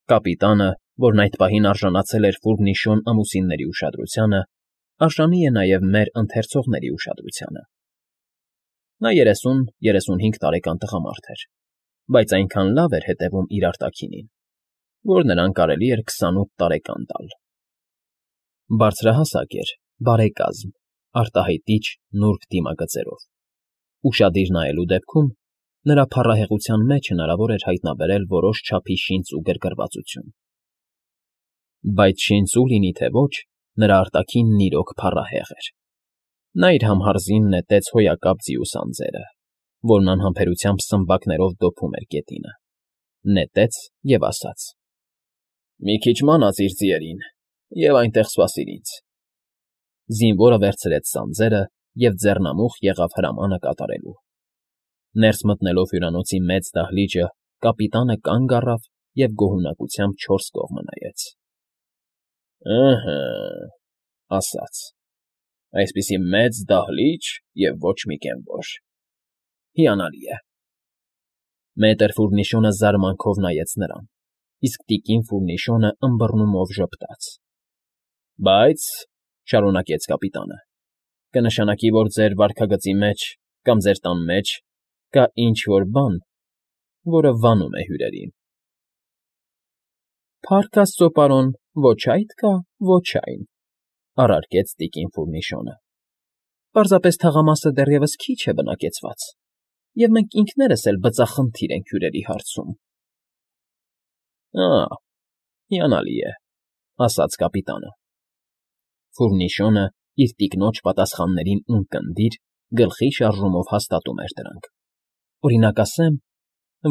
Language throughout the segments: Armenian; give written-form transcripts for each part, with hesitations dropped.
Կապիտանը, որն այդ պահին արժանացել էր Ֆուրնիշոն ամուսինների ուշադրությանը, արժանի է նաև մեր ընթերցողների ուշադրությանը։ Նա 30-35 տարեկան տղամարդ էր, բայց այնքան լավ էր հետևում իր արտաքինին, որ նրան կարելի էր 28 տարեկան տալ։ Բարձրահասակ էր, բարեկազմ, արտահայտիչ նուրբ դիմագծերով։ Ուշադիր նայելու դեպքում նրա փառահեղության մեջ հնարավոր էր հայտնաբերել որոշ չափի շինծ ու գրգռվածություն։ Բայց շինծու լինի թե ոչ, նրա արտաքինն իրոք փառահեղ էր։ Նա իր համհարզին նետեց հոյակապ ձիուս անձերը, որն անհամբերությամբ սմբակներով դոփում էր գետինը, նետեց և ասաց. «Մի քիչ մանած իր ձիերին, և այնտեղ սպասիր ինձ»։ Զինվորը վերցրեց սանձերը և ձեռնամուխ եղավ հրամանը կատարելու։ Ներս մտնելով հյուրանոցի մեծ դահլիճը, կապիտանը կանգ առավ և գոհունակությամբ չորս կողմը նայեց։ «Ըհը,֊ ասաց,֊ այսպիսի մեծ դահլիճ և ոչ մի կենվոր… հիանալի է»։ Մետր Ֆուրնիշոնը զարմանքով նայեց նրան, իսկ տիկին Ֆուրնիշոնը ըմբռնումով ժպտաց։ «Բայց,֊ շարունակեց կապիտանը,֊ կնշանակի, որ ձեր վարքագծի մեջ կամ ձեր տան մեջ կա ինչ֊որ բան, որը վանում է հյուրերին»։ «Փառք աստծո, պարոն, ոչ այդ կա, ոչ այն,֊ առարկեց տիկին Ֆուրնիշոնը,֊ պարզապես թաղամասը դեռևս քիչ է բնակեցված, և մենք ինքներս էլ բծախնդիր ենք հյուրերի հարցում»։ «Ա՜, հիանալի է,֊ ասաց կապիտանը։ Ֆուրնիշոնը իր տիկնոջ պատասխաններին ունկնդիր, գլխի շարժումով հաստատում էր դրանք։ «Օրինակ ասեմ,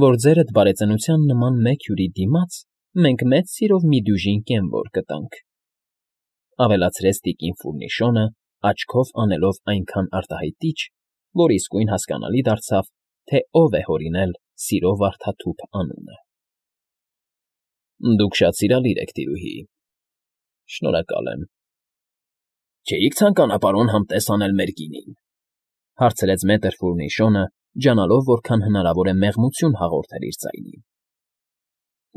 որ ձերդ բարեծնության նման մեկ հյուրի դիմաց մենք մեծ սիրով մի դյուժին կենվոր կտանք», ավելացրեց տիկին Ֆուրնիշոնը, աչքով անելով այնքան արտահայտիչ, որ իսկույն հասկանալի դարձավ, թե ով է հորինել սիրո վարդաթուփ անունը։ «Դուք շատ սիրալիր եք, տիրուհի… Շնորհակալ եմ»։ «Չէի՞ք ցանկանա, պարոն, համտես անել մեր գինին,֊ հարցրեց մետր Ֆուրնիշոնը, ջանալով որքան հնարավոր է մեղմություն հաղորդել իր ձայնին։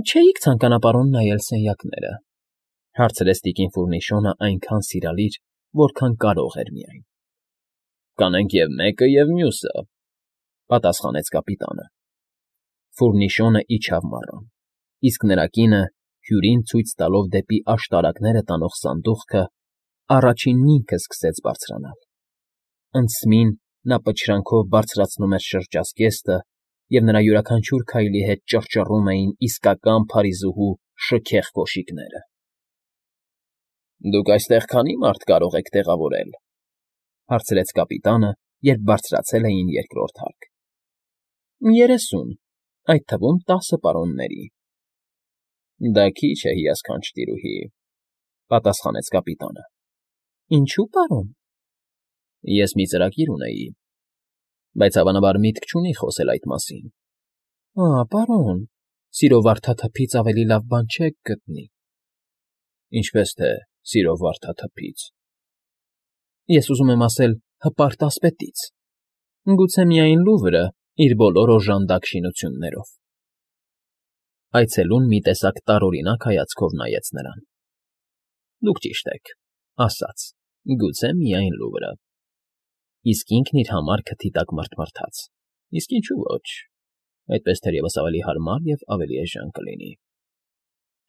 «Չէի՞ք ցանկանա, պարոն, նայել սենյակները,֊ հարցրեց տիկին Ֆուրնիշոնը այնքան սիրալիր, որքան կարող էր միայն։ «Կանենք և մեկը, և մյուսը,֊ պատասխանեց կապիտանը։ Ֆուրնիշոնը իջավ մառան, իսկ նրա կինը, հյուրին ցույց տալով դեպի աշտարակները տանող սանդուղքը, առաջինն ինքը սկսեց բարձրանալ։ Անցմին նա պչրանքով բարձրացնում էր շրջազգեստը, և նրա յուրաքանչյուր քայլի հետ ճռճռում էին իսկական Փարիզուհու շքեղ կոշիկները։ «Դուք այստեղ քանի՞ մարդ կարող եք տեղավորել,֊ հարցրեց կապիտանը, երբ բարձրացել էին երկրորդ հարկ։ «30, այդ թվում 10 պարոնների»։ «Դա քիչ է, հիասքանչ տիրուհի,֊ պատասխանեց կապիտանը։ «Ինչո՞ւ, պարոն»։ «Ես մի ծրագիր ունեի, բայց հավանաբար միտք չունի խոսել այդ մասին»։ «Ա՜, պարոն, սիրո վարդաթփից ավելի լավ բան չեք գտնի»։ «Ինչպես թե սիրո վարդաթփից…»։ «Ես ուզում եմ ասել հպարտ ասպետից, գուցե միայն Լուվրը իր բոլոր օժանդակ շինություններով»։ Այցելուն մի տեսակ տարօրինակ հայացքով նայեց նրան։ «Դուք ճիշտ եք,֊ ասաց,֊ գուցե միայն Լուվրը»։ Իսկ ինքն իր համար քթի տակ մռթմռթաց. «Իսկ ինչու ոչ, այդպես թերևս ավելի հարմար և ավելի էժան կլինի»։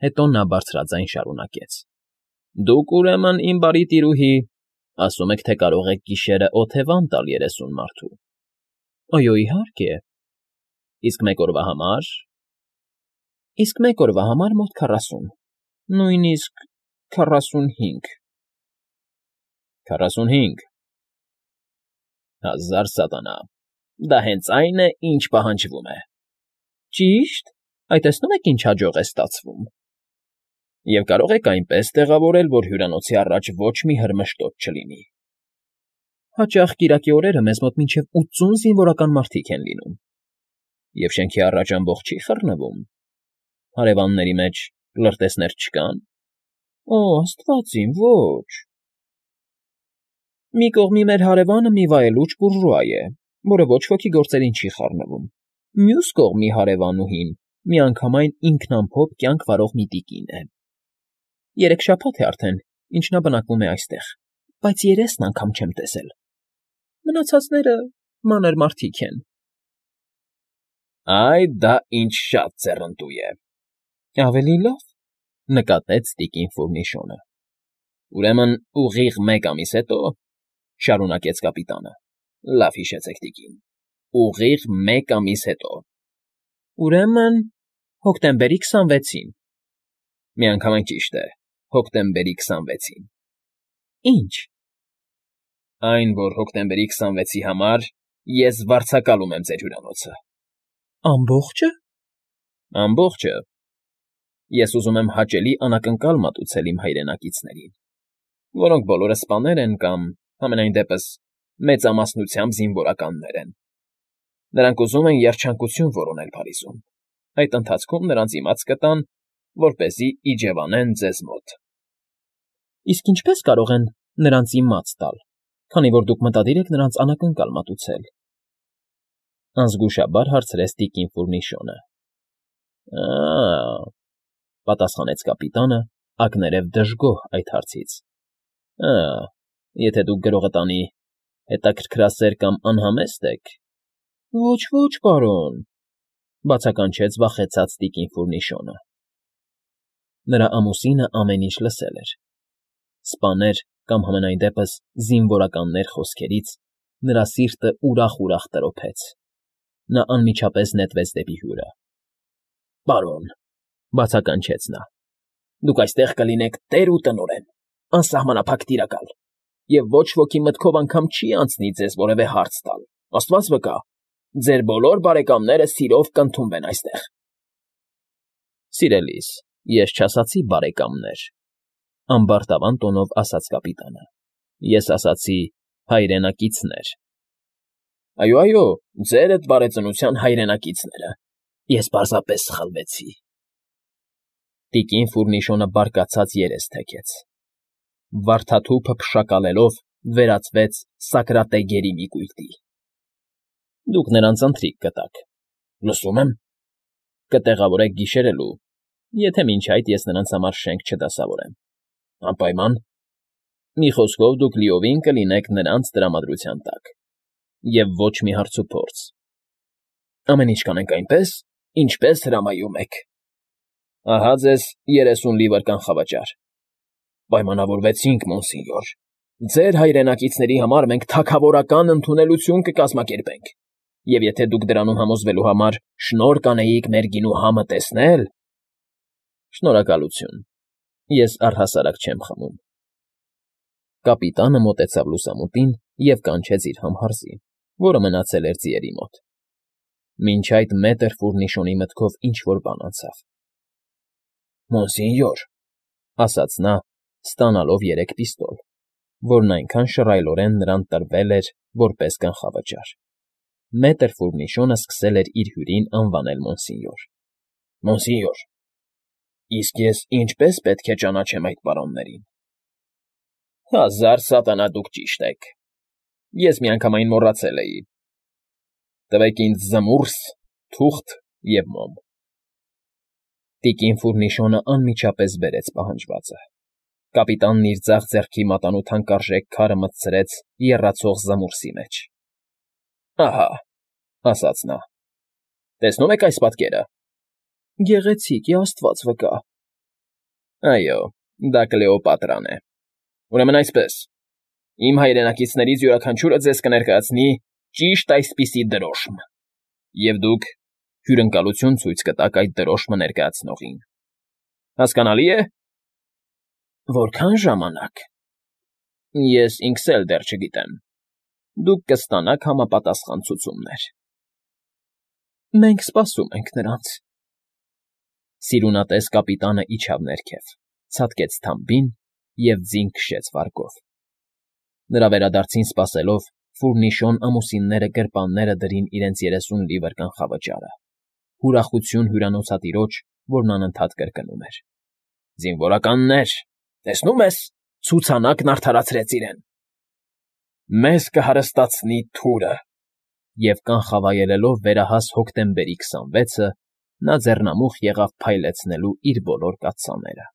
Հետո նա բարձրաձայն շարունակեց. «Դուք, ուրեմն, իմ բարի տիրուհի, ասում եք, թե կարող եք գիշերը օթևան տալ 30 մարդու»։ «Այո, իհարկե»։ «Իսկ մեկ օրվա համար»։ «Իսկ մեկ օրվա համար մոտ 40, նույնիսկ 45»։ «45… Հազար սատանա… Դա հենց այն է, ինչ պահանջվում է»։ «Ճի՞շտ, այ տեսնում եք ինչ հաջող է ստացվում»։ «Եվ կարող եք այնպես տեղավորել, որ հյուրանոցի առաջ ոչ մի հրմշտոց չլինի»։ «Հաճախ կիրակի օրերը մեզ մոտ մինչև 80 զինվորական մարդիկ են լինում»։ «Եվ շենքի առաջ ամբոխ չի խռնվում։ Հարևանների մեջ լրտեսներ չկա՞ն»։ «Օ, աստված իմ, ոչ»։ «Մի կողմի մեր հարևանը մի վայելուչ բուրժուա է, որը ոչ ոքի գործերին չի խառնվում, մյուս կողմի հարևանուհին միանգամայն ինքնամփոփ կյանք վարող մի տիկին է։ 3 շաբաթ է արդեն, ինչ նա բնակվում է այստեղ, բայց երեսն անգամ չեմ տեսել։ Մնացածները մանր մարդիկ են։ Այ դա ինչ շատ ձեռնտու է։ Ավելի լավ, նկատեց տիկին Ֆուրնիշոնը։ Ուրեմն ուղիղ 1 ամիս հետո, շարունակեց կապիտանը, լավ հիշեցեք տիկին, ուղիղ 1 ամիս հետո։ Ուրեմն հոկտեմբերի 26-ին։ Միանգամայն ճիշտ է, հոկտեմբերի 26-ին։ Ինչ։ Այն, որ հոկտեմբերի 26-ի համար ես վարձակալում եմ ձեր հյուրանոցը։ Ամբողջը։ Ամբողջը։ Ես ուզում եմ հաճելի անակնկալ մատուցել իմ հայրենակիցներին, որոնք բոլորը սպաներ են կամ, համենայն դեպս, մեծամասնությամբ զինվորականներ են։ Նրանք ուզում են երջանկություն որոնել Փարիզում, այդ ընթացքում նրանց իմաց կտան, որպեսզի իջևանեն ձեզ մոտ։ Իսկ ինչպես կարող են նրանց իմաց տալ, քանի որ դուք մտադիր եք նրանց անակնկալ մատուցել։ Անզգուշաբար հարցրեց տիկին Ֆուրնիշոնը։ Ա՜, պատասխանեց կապիտանը, ակներև դժգոհ այդ հարցից։ Եթե դուք գրողը տանի հետաքրքրասեր կամ անհամեստ եք։ Ոչ, պարոն, բացականչեց վախեցած տիկին Ֆուրնիշոնը։ Նրա ամուսինը ամեն ինչ լսել էր։ Սպաներ կամ համենայն դեպս զինվորականներ խոսքերից նրա սիրտը ուրախ տրոփեց։ Նա անմիջապես նետվեց դեպի հյուրը։ Պարոն, բացականչեց նա, դուք այստեղ կլինեք տեր ու տնօրեն, անսահմանափակ տիրակալ, և ոչ ոքի մտքով անգամ չի անցնի ձեզ որևէ հարց տալ, աստված վկա, ձեր բոլոր բարեկամները սիրով կընդունվեն այստեղ։ Սիրելիս, ես չասացի բարեկամներ, ամբարտավան տոնով ասաց կապիտանը։ Ես ասացի հայրենակիցներ։ Այո, ձերդ բարեծնության հայրենակիցները։ Ես պարզապես սխալվեցի։ Տիկին Ֆուրնիշոնը բարկացած երես թեքեց։ Վարդաթուփը փշակալելով վերածվեց Սակրատե գերի մի կույտի։ Դուք նրանց ընթրիք կտաք։ Լսում եմ։ Կտեղավորեք գիշերելու, եթե մինչ այդ ես նրանց համար շենք չդասավորեմ։ Անպայման։ Մի խոսքով դուք լիովին կլինեք նրանց տրամադրության տակ։ Եվ ոչ մի հարց ու փորձ։ Ամեն ինչ կանենք այնպես, ինչպես հրամայում եք։ Ահա ձեզ 30 լիվր կանխավաճառ։ Պայմանավորվեցինք, մոնսինյոր։ Ձեր հայրենակիցների համար մենք թագավորական ընդունելություն կկազմակերպենք, և եթե դուք դրանում համոզվելու համար շնորհ կանեիք մեր գինու համը տեսնել… Շնորհակալություն, ես առհասարակ չեմ խմում։ Կապիտանը մոտեցավ լուսամուտին և կանչեց իր համհարզի, որը մնացել էր ձիերի մոտ։ Մինչ այդ մետր Ֆուրնիշոնի մտքով ինչ֊որ բան անցավ։ Մոնսինյոր, ասաց նա, ստանալով 3 պիստոլ, որն այնքան շռայլորեն նրան տրվել էր, որպես կանխավաճառ։ Մետր Ֆուրնիշոնը սկսել էր իր հյուրին անվանել մոնսինյոր։ Մոնսինյոր, իսկ ես ինչպես պետք է ճանաչեմ այդ պարոններին։ 1000 սատանա դուք ճիշտ եք։ Ես միանգամայն մոռացել էի։ Տվեք ինձ զմուրս, թուղթ և մոմ։ Տիկին Ֆուրնիշոնը անմիջապես բերեց պահանջվածը։ Կապիտանն իր ձախ ձեռքի մատանու թանկարժեք քարը մտցրեց եռացող զմուրսի մեջ։ Ահա, ասաց նա. տեսնում եք այս պատկերը։ Գեղեցիկ է, աստված վկա։ Այո, դա Կլեոպատրան է։ Ուրեմն այսպես, իմ հայրենակիցներից յուրաքանչյուրը ձեզ կներկայացնի ճիշտ այսպիսի դրոշմ, և դուք հյուրընկալություն ցույց կտաք այդ դրոշմը ներկայացնողին։ Հասկանալի է։ Որքան ժամանակ։ Ես ինքս էլ դեռ չգիտեմ։ Դուք կստանաք համապատասխան ցուցումներ։ Մենք սպասում ենք նրանց։ Սիրունատես կապիտանը իջավ ներքև, ցատկեց թամբին և ձին քշեց վարգով։ Նրա վերադարձին սպասելով, Ֆուրնիշոն ամուսինները գրպանները դրին իրենց 30 լիվր կանխավճարը։ Ուրախություն հյուրանոցատիրոջ, որն անընդհատ կրկնում էր. Զինվորականներ, տեսնում ես, ցուցանակն արդարացրեց իրեն։ Մեզ կհարստացնի թուրը։ Եվ կանխավայելելով վերահաս հոկտեմբերի 26-ը նա ձեռնամուխ եղավ փայլեցնելու իր բոլոր կաթսաները։